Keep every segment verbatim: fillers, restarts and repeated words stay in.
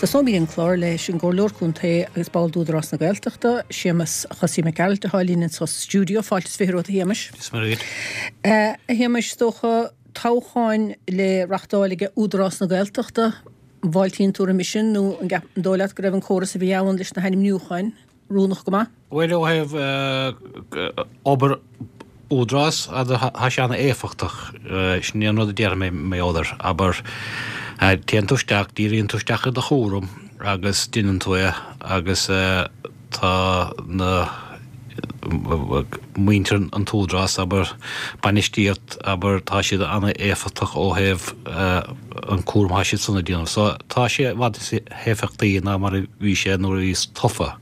Tosóimid an clár leis an gComhairleoir Contae agus ball d'Údarás na Gaeltachta, Séamus Chosaí Mac Gearailt, atá linn sa stiúideo. Fáilte is fiche romhat, a Shéamais. Is maith duit. A Shéamais, is dócha toghcháin le reachtáil ag Údarás na Gaeltachta, an bhfáiltíonn tú roimhe sin nó an dóigh leat go raibh an córas a bhí ann leis na hainmniúcháin oiriúnach go maith? Bhuel, ó thaobh obair Údarás, tá sé an-éifeachtach. Sin é an rud a déarfaidh mé mar gheall air. Abair, téann tú isteach, díríonn tú isteach ar do chúram agus déanann tú é agus tá na muintir an t-údarás, abair, bainistíocht, abair, tá siad an-éifeachtach ó thaobh an cúram atá siad san a déanamh. So tá sé i bhfad níos éifeachtaí ná mar a bhí sé nuair a bhíos tofa.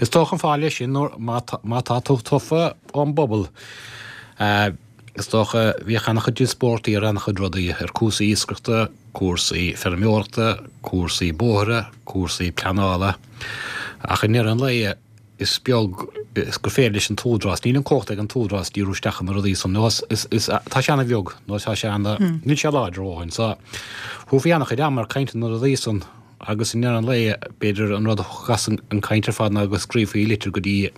Is dócha an fáth leis sin nuair má má tá tú tofa ón bpobal, is dócha bhíodh an-chuid díospóireachtaí ar an-chuid rudaí, ar cúrsaí iascaireachta, cúrsaí feirmeoireachta, cúrsaí bóithre, cúrsaí pleanála. Ach i ndeireadh an lae is beag is gur féidir leis an t-údarás, níl an cumhacht ag an t-údarás díriú isteach ar na rudaí san, nó is, is, tá sé an-bheag, nó tá sé ana, níl sé láidir a dhóthain. So, thabharfaí an-chuid ama ar caint ar na rudaí san agus i ndeireadh an lae, b'fhéidir an rud a thiocfadh as an caint ar fad ná go scríofaí litir go dtí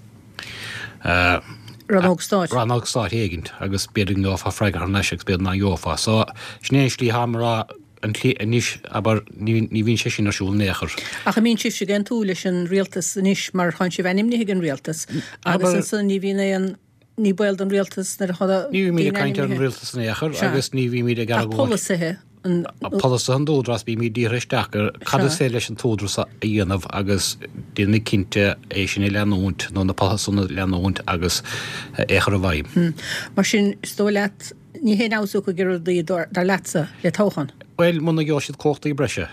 Rannóg Stáit. Rannóg Stáit éigint agus b'fhéidir go ngeofá freagra thar n-ais agus b'fhéidir nach ngeofá. So, sin é an slí atá mé a rá an tslí anois, abair, ní ní bhíonn sé sin ar siúl in aon chor. Ach an mbíonn sibhse ag aontú leis an rialtas anois mar tánn sibh ainmnithe ag an rialtas agus ansan ní bhíonn aon, ní baol don rialtas nuair atá Ní bhímid daoine ag caint ar an ainmnithe. rialtas in aon chor Sea. agus ní bhímid ag Ach argóint. polasaithe an. Polasaithe an t-údarás, bímid dírithe isteach ar cad is Sea. féidir leis an t-údarás a dhéanamh agus déanaimid cinnte é sin a leanúint nó na polasaithe san a leanúint agus é a chur i bhfeidhm. Mar sin, is dóigh leat, ní haon fheabhas a thiocfaidh ar rudaí, dar leatsa, le toghchán? Bhuel, muna ngeobhaidh siad cumhachtaí breise,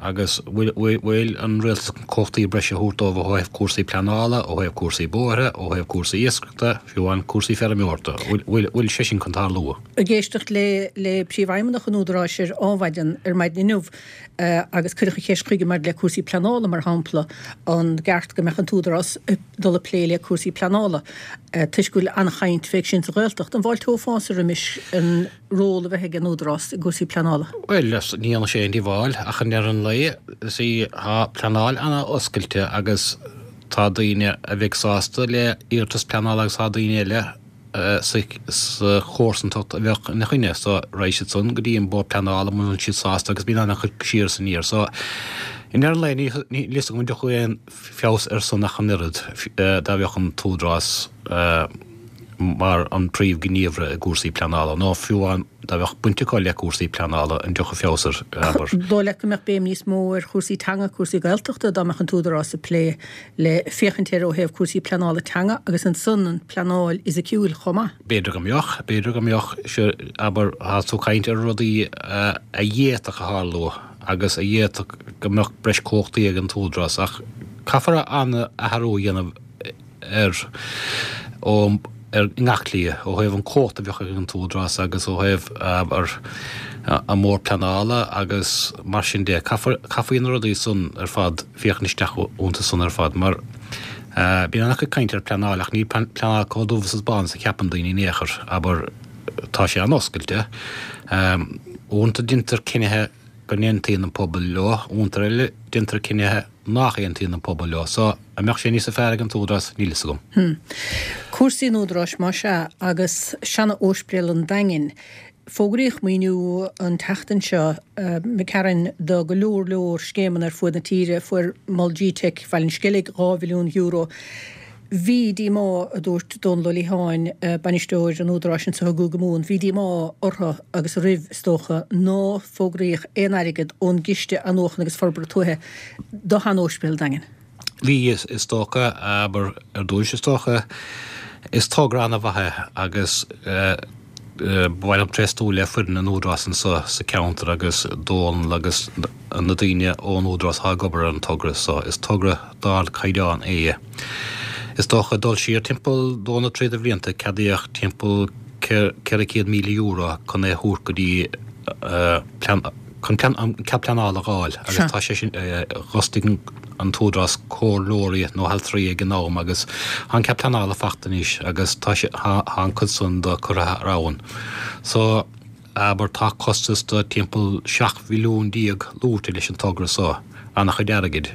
agus bhfuil an rialtas chun cumhachtaí breise a thabhairt dóibh ó thaobh cúrsaí pleanála, ó thaobh cúrsaí bóithre, ó thaobh cúrsaí iascaireachta, fiú amháin cúrsaí feirmeoireachta, bhfuil bhfuil sé sin chun tarlú? Ag éisteacht le le Príomhfheidhmeannach an Údaráis ar Adhmhaidin ar maidin inniu agus cuireadh an cheist chuige maidir le cúrsaí pleanála, mar shampla, an gceart go mbeadh an tÚdarás ag dul ag plé le cúrsaí pleanála toisc go bhfuil an-chaint fé sin sa Ghaeltacht. An bhfáilteofása roimis an ról a bheith ag an Údarás i gcúrsaí pleanála? Bhuel, ní dhéanfadh sé aon díobháil, ach i ndeireadh an lae, sea, tá pleanáil an-oscailte agus tá daoine a bheidh sásta le hiarratas pleanála agus tá daoine eile sa chomharsantacht a bheadh ina choinne. So, raghaidh siad san go dtí an Bord Pleanála muna bhfuil siad sásta agus bíonn an-chuid siar is aniar. So, i ndeireadh an lae, níl a fhios agam an dtiocfadh aon feabhas ar san ach an oiread dá bheadh an tÚdarás mar an príomhghníomhaire i gcúrsaí pleanála, nó fiú amháin dá bheadh baint acu le cúrsaí pleanála, an dtiocfadh feabhas air, abair. Dóigh leat go mbeadh béim níos mó ar chúrsaí teanga, cúrsaí Gaeltachta, dá mbeadh an tÚdarás ag plé le féachaint air ó thaobh cúrsaí pleanála teanga agus ansan an pleanáil fhisiciúil chomh maith? B'fhéidir go mbeadh, b'fhéidir go mbeadh, sure, abair, tá tú ag caint ar rudaí a d'fhéadfadh a tharlú agus a d'fhéadfadh go mbeadh breis cumhachtaí ag an tÚdarás ach caithfear an-athrú a dhéanamh ar ó ar ngach slí, ó thaobh an cumhacht a bheadh ag an tÚdarás agus ó thaobh ar an mBord Pleanála agus mar sin de. Caithfear caithfidh na rudaí san ar fad féachaint isteach iontu san ar fad mar bíonn an-chuid caint ar pleanáil ach níl pleanáil chomh dubh is bán is a cheapann daoine in aon chor, abair, tá sé an-oscailte. Uaireanta déantar cinnithe go n-aontaíonn an pobal leo, uaireanta eile déantar cinnithe nach aontaíonn an pobal leo. So, an mbeadh sé níosa fearr ag an tÚdarás? Níl fhios agam. Hm. Cúrsaí an Údaráis, más ea, agus seana-Ospidéal an Daingin. Fógraíodh maoiniú an tseachtain seo, McCarron, do go leor leor scéimeanna ar fuaid na tíre. Fuair Mol G-Teic Bhaile an Sceilg dhá mhilliún euro. Bhí díomá, a dúirt Dónal Ó Liatháin, bainisteoir an Údaráis anseo i gCúige Mumhan, bhí díomá orthu agus oraibh, is dócha, ná fógraíodh aon airgead ón gCiste Athnuachana agus Forbartha Tuaithe do shean-Ospidéal an Daingin. Bhí, is dócha, abair, ar dtúis, is dócha, is togra an-mhaith é agus ba mhaith liom tréaslú le foireann an Údaráis anseo sa cheantar agus Dónal agus na daoine ón Údarás atá ag obair ar an togra so. Is togra d'ardchaighdeán é. Is dócha dul siar timpeall dó nó trí de bhlianta ceadaíodh timpeall ceithre chéad míle euro chun é a thabhairt go dtí chun an cead pleanála a dh'fháil agus tá sé sin d'fhostaigh an tÚdarás comhairleoirí nó altraí ag an am agus tá an cead pleanála fachta anois agus tá sé tá an cuid san de curtha thar abhainn. So abair tá costas de timpeall seacht mhilliún déag luaite leis an togra so an-chuid airgid.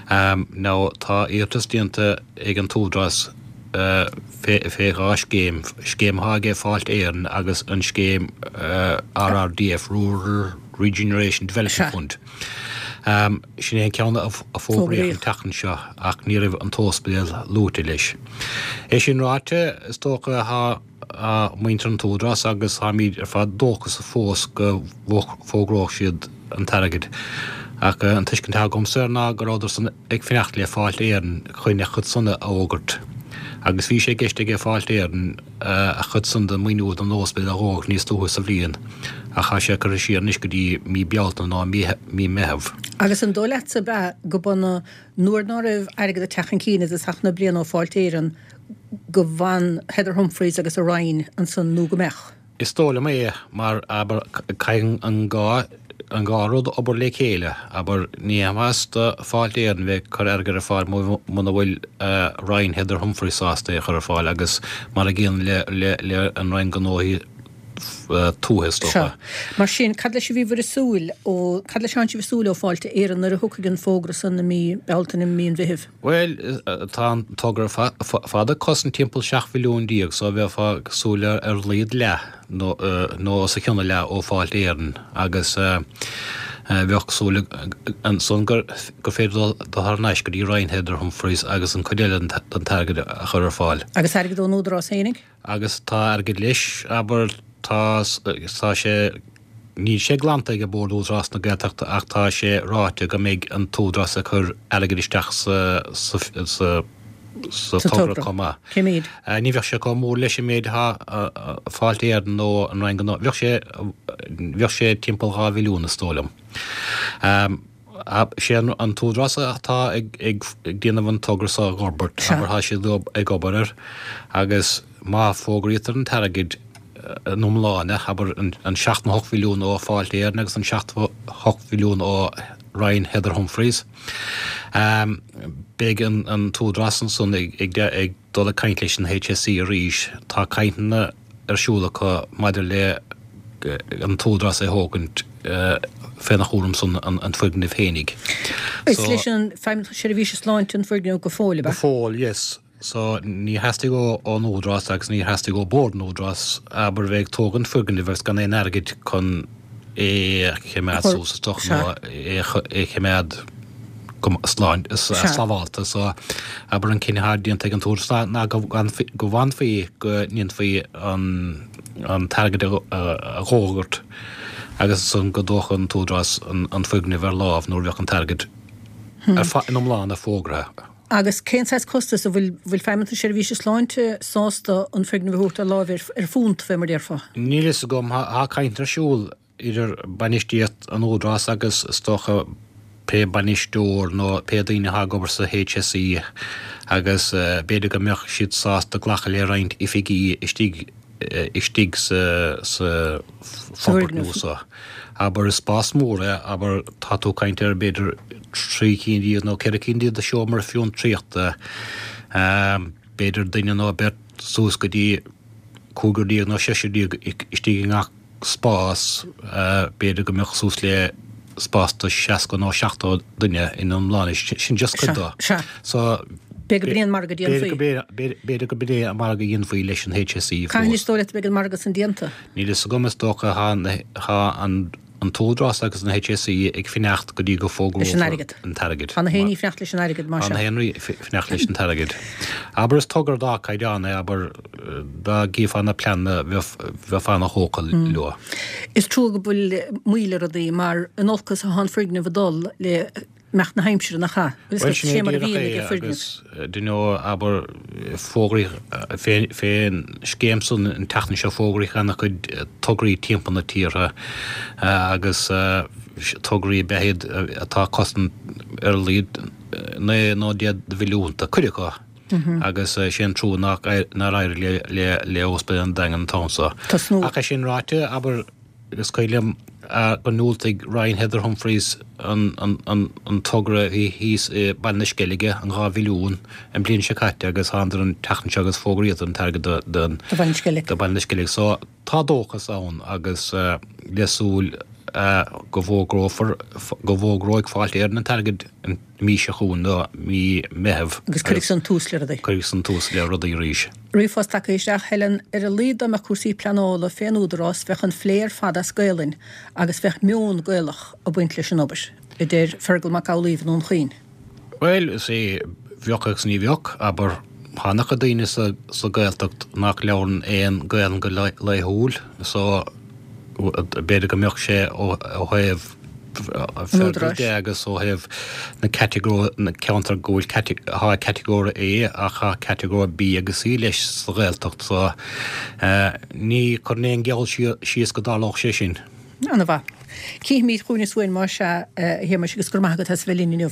Now tá iarratas déanta ag an tÚdarás fé dhá scéim, scéim atá aige Fáilte Éireann agus an scéim RRDF, Rural Regeneration Development Fund. Sin é an ceann a fógraíodh an tseachtain seo ach ní raibh an t-ospidéal luaite leis. É sin ráite, is dócha tá muintir an tÚdarás agus táimid ar fad dóchasach fós go bhfógróidh siad an t-airgead. Ach an tuiscint atá agamsa air ná go rabhadar san ag fanacht le Fáilte Éireann chun a chuid san a fhógairt. Agus bhí sé i gceist aige Fáilte Éireann a chuid san den maoiniú don ospidéal a fhógairt níos luaithe sa bhliain, ach tá sé curtha siar anois go dtí mí Bealtaine nó mí Meitheamh. Agus an dóigh leatsa ab ea go mb'ionadh nuair ná raibh airgead ag teacht chun cinn i dtosach na bliana ó Fáilte Éireann go bhfan Heather Humphreys agus a Roinn ansan nó go mbeadh? Is dóigh liom é, mar, abair, caithfidh an dhá, an dhá rud obair le chéile. Abair, ní haon mhaitheas do Fáilte Éireann bheith ag cur airgead ar fáil muna bhfuil Roinn Heather Humphreys sásta é a chur ar fáil agus mar a gcéanna le, le, le an Roinn Gnóthaí Tuaithe, is dócha. Sea. Mar sin, cad leis a bhíobhair ag súil ó, cad leis atánn sibh ag súil ó Fáilte Éireann nuair a thiocfaidh an fógra san i mí Bealtaine, mí an Mheithimh? Bhuel, tá an togra fad ag cosaint timpeall seacht mhilliún déag so bheifeá ag súil ar a laghad leath nó os a chionn a leath ó Fáilte Éireann agus bheadh súil ansan gur féidir dul thar n-ais go dtí Roinn Heather Humphreys agus an chuid eile den t-airgead a chur ar fáil. Agus airgead ón Údarás fhéinig? Agus tá airgead leis, abair, tá, tá sé, níl sé glanta ag Bord Údarás na Gaeltachta ach tá sé ráite go mbeidh an tÚdarás ag cur airgead isteach sa, sa, sa, sa togra chomh maith. Cé méid? Ní bheadh sé chomh mór leis an méid atá Fáilte Éireann nó an Roinn Gnó, bheadh sé, bheadh sé timpeall dhá mhilliún is dóigh liom. Sé an tÚdarás atá ag déanamh an togra seo a fhorbairt, abair, tá siad ag obair air agus má fógraítear an t-airgead ina iomláine, abair, an seacht nó hocht mhilliún ó Fáilte Éireann agus an seacht hocht mhilliún ó Roinn Heather Humphreys, beidh an tÚdarás ansan ag dul ag caint leis an HSE arís. Tá cainteanna ar siúl acu maidir le an tÚdarás é thógaint féna chúram san an foirgneamh fhéinig. Is leis an Feidhmeannacht Seirbhíse Sláinte an foirgneamh go fóill, ab ea? Go fóill, yes. So ní theastaigh ón Údarás agus ní theastaigh ó Bord an Údarás abair bheith ag tógaint foirgnimh agus gan aon airgead chun é a choimeád suas is dócha nó é a choimeád go slán sábhálta. So abair an cinneadh atá déanta ag an Údarás ná go bhfanfaí go ndéanfaí an an t-airgead a fhógairt agus ansan go dtógfadh an tÚdarás an foirgneamh ar láimh nuair a bheadh an t-airgead ina iomláine fógraithe. Agus cén saghas costas, an bhfuil bhfuil Feidhmeannas na Seirbhíse Sláinte sásta an foirgneamh a thabhairt ar láimh ar phunt, fé mar déarfá? Níl fhios agam. Tá caint ar siúl idir bainistíocht an Údarás agus is dócha pé bainisteoir nó pé daoine atá ag obair sa HSE agus b'fhéidir go mbeadh siad sásta glacadh le roinnt oifigí istigh istigh sa sa forbairt nua seo. Abair is spás mór é, abair tá tú ag caint ar b'fhéidir trí cinn díobh nó ceithre cinn díobh de seomra fiontraíochta, b'fhéidir duine nó beirt suas go dtí cúigear déag nó seisear déag istigh i ngach spás, b'fhéidir go mbeadh suas le spás do seasca nó seachtó duine ina iomláine, sin just cuid dó. Sea. So, B'fhéidir gurb in é an margadh a dhéanfaí. B'fhéidir gurb in é an margadh a dhéanfaí leis an HSE fós. Cathain is dóigh leat a bheidh an margadh san déanta? Níl fhios agam, is dócha tá an an tÚdarás agus an HSE ag fanacht go dtí go fógrófar an t-airgead. Tá na héinní ag fanacht leis an airgead, más ea. Tá na héinní ag fanacht leis an t-airgead. Abair is togra d'ardchaighdeán é, abair dá gcífeá na pleananna bheifeá ana-thógtha leo. Is trua go bhfuil moill ar rudaí mar in olcas atá an foirgneamh ag dul le imeacht na haimsire, nach ea? Bhuel, sin é díreach é agus do you know, abair, fógraíodh fén scéim san an tseachtain seo fógraíodh ana-chuid tograí timpeall na tíortha agus tograí ab ea iad atá ag cosaint ar a laghad naoi nó deich de mhilliúnta, cuid acu, agus sé an trua nár éirigh le Ospidéal an Daingin an t-am seo. Ach é sin ráite, abair, Is cuimhin liom go ndiúltaigh Roinn Heather Humphreys an togra a bhí thíos i Baile na Sceilge, an dhá mhilliún, an bhliain seo caite agus thánadar an tseachtain seo agus fógraíodar an t-airgead do Bhaile na Sceilge. So tá dóchas ann agus le súil go bhfógrófar, go bhfógróidh Fáilte Éireann an t-airgead an mhí seo chugainn, nó mí Meitheamh. Agus cuirfidh san tús le rudaí. Cuirfidh san tús le rudaí arís. Ríomhphost tagtha isteach, Helen, ar a laghad dá mbeadh cúrsaí pleanála fén Údarás bheadh an phlé ar fad as Gaelainn agus bheadh meon Gaelach ag baint leis an obair, a deir Fergal Mac Amhlaoibh i nDún Chaoin. Bhuel, is é, bheadh agus ní bheadh, abair, tá an-chuid daoine sa sa Ghaeltacht nach labhrann aon Ghaelainn go laethúil, so b'fhéidir go mbeadh sé ó thaobh Fergal de agus ó thaobh na catagóir, na ceantar go bhfuil tá catagóir A ach tá catagóir B agus C leis sa Ghaeltacht, so ní chuirfinn aon gheall síos go dtarlódh sé sin. Ana-mhaith. Cífimid chugainn is uainn más ea, a Shéamais, agus go raibh maith agat as a bheith linn inniu.